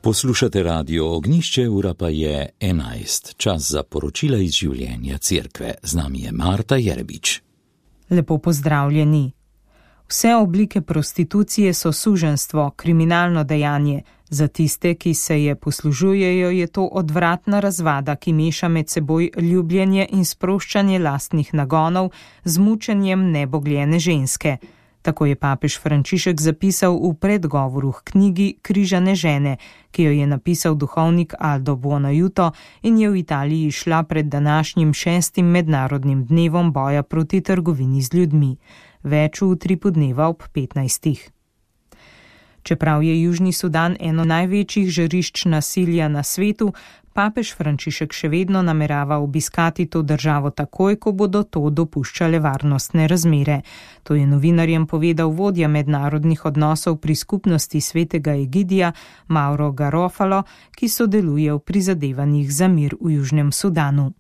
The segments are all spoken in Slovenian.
Poslušate Radio Ognjišče, ura pa je 11. Čas za poročila iz življenja cerkve. Z nami je Marta Jerebič. Lepo pozdravljeni. Vse oblike prostitucije so suženjstvo, kriminalno dejanje. Za tiste, ki se je poslužujejo, je to odvratna razvada, ki meša med seboj ljubljenje in sproščanje lastnih nagonov z mučenjem nebogljene ženske. Tako je papež Frančišek zapisal v predgovoru k knjigi Križane žene, ki jo je napisal duhovnik Aldo Buonaiuto in je v Italiji šla pred današnjim 6. mednarodnim dnevom boja proti trgovini z ljudmi. Več v utripu dneva ob 15. Čeprav je Južni Sudan eno največjih žarišč nasilja na svetu, papež Frančišek še vedno namerava obiskati to državo takoj, ko bodo to dopuščale varnostne razmere. To je novinarjem povedal vodja mednarodnih odnosov pri skupnosti svetega Egidija Mauro Garofalo, ki sodeluje v prizadevanjih za mir v Južnem Sudanu.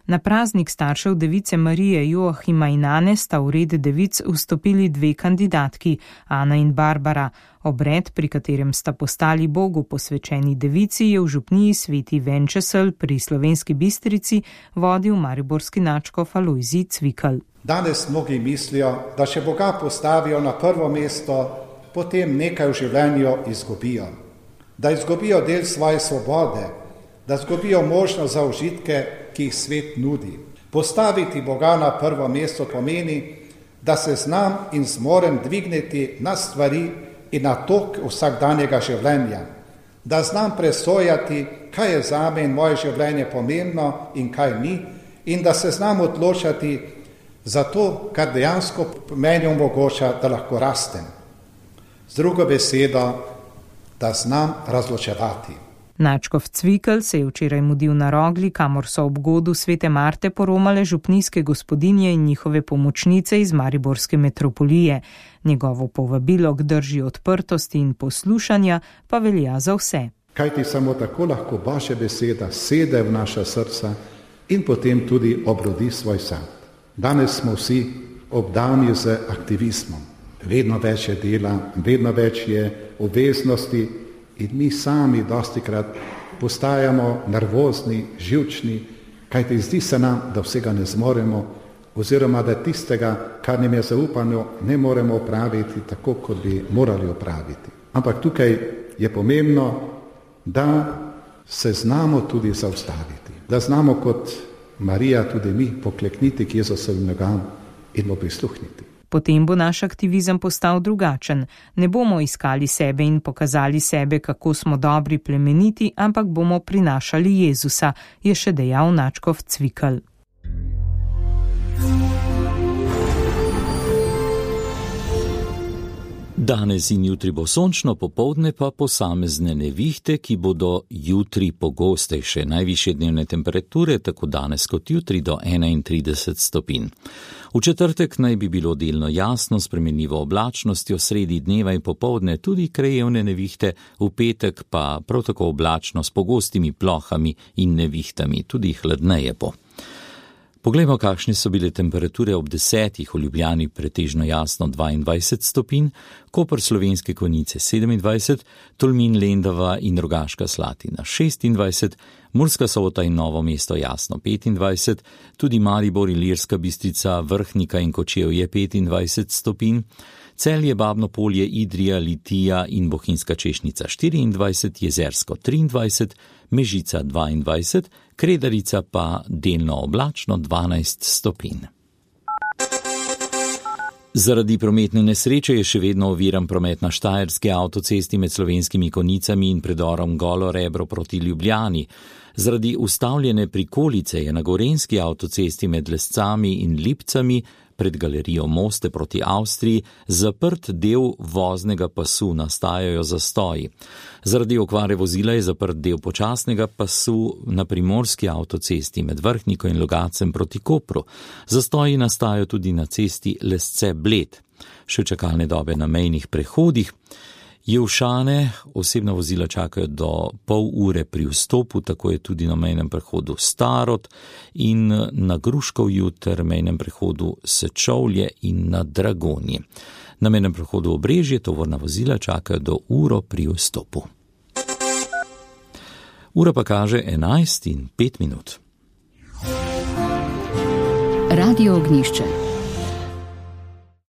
Na praznik staršev device Marije Joachima in Ane sta v red devic vstopili dve kandidatki, Ana in Barbara. Obred, pri katerem sta postali Bogu posvečeni devici, je v župniji Sveti Venčesel pri Slovenski Bistrici vodil mariborski nadškof Alojzij Cvikl. Danes mnogi mislijo, da če Boga postavijo na prvo mesto, potem nekaj v življenju izgubijo. Da izgubijo del svoje svobode, da izgubijo možnost za užitke, ki jih svet nudi. Postaviti Boga na prvo mesto pomeni, da se znam in zmorem dvigniti na stvari in na tok vsakdanjega življenja. Da znam presojati, kaj je zame in moje življenje pomembno in kaj ni, in da se znam odločati za to, kar dejansko meni omogoča, da lahko rastem. Z drugo besedo, da znam razločevati. Nadškof Cvikl se je včeraj mudil na Rogli, kamor so ob godu svete Marte poromale župnijske gospodinje in njihove pomočnice iz mariborske metropolije. Njegovo povabilo k drži odprtosti in poslušanja pa velja za vse. Kajti samo tako lahko vaša beseda sede v naša srca in potem tudi obrodi svoj sad. Danes smo vsi obdani z aktivizmom. Vedno več je dela, vedno več je obveznosti, in mi sami dostikrat postajamo nervozni, živčni, kajti zdi se nam, da vsega ne zmoremo, oziroma da tistega, kar nam je zaupano, ne moremo opraviti tako, kot bi morali opraviti. Ampak tukaj je pomembno, da se znamo tudi zaustaviti, da znamo kot Marija tudi mi poklekniti k Jezusovim nogam in mu prisluhniti. Potem bo naš aktivizem postal drugačen. Ne bomo iskali sebe in pokazali sebe, kako smo dobri, plemeniti, ampak bomo prinašali Jezusa, je še dejal nadškof Cvikl. Danes in jutri bo sončno, popoldne pa posamezne nevihte, ki bodo jutri pogostejše. Najvišje dnevne temperature tako danes kot jutri do 31 stopinj. V četrtek naj bi bilo delno jasno, spremenljivo oblačnostjo, sredi dneva in popoldne tudi krajevne nevihte, v petek pa prav tako oblačno s pogostimi plohami in nevihtami, tudi hladneje bo. Poglejmo, kakšne so bile temperature ob 10. v Ljubljani, pretežno jasno 22 stopinj, Koper Slovenske Konjice 27, Tolmin, Lendava in Rogaška Slatina 26, Murska Sobota in Novo mesto jasno 25, tudi Maribor, Ilirska Bistrica, Vrhnika in Kočevje 25 stopinj, Celje, Babno Polje, Idrija, Litija in Bohinjska Češnica 24, Jezersko 23, Mežica 22, Kredarica pa delno oblačno 12 stopinj. Zaradi prometne nesreče je še vedno oviran promet na Štajerski avtocesti med Slovenskimi Konjicami in predorom Golo Rebro proti Ljubljani. Zaradi ustavljene prikolice je na Gorenjski avtocesti med Lescami in Lipcami pred galerijo Moste proti Avstriji zaprt del voznega pasu, nastajajo zastoji. Zaradi okvare vozila je zaprt del počasnega pasu na Primorski avtocesti med Vrhniko in Logacem proti Kopru. Zastoji nastajajo tudi na cesti Lesce-Bled. Še čakalne dobe na mejnih prehodih. Jevšane osebna vozila čakajo do pol ure pri vstopu, tako je tudi na mejnem prehodu Starod in na Gruškovju ter mejnem prehodu Sečovlje in na Dragonji. Na mejnem prehodu Obrežje tovorna vozila čakajo do uro pri vstopu. Ura pa kaže 11:05. Radio Ognjišče.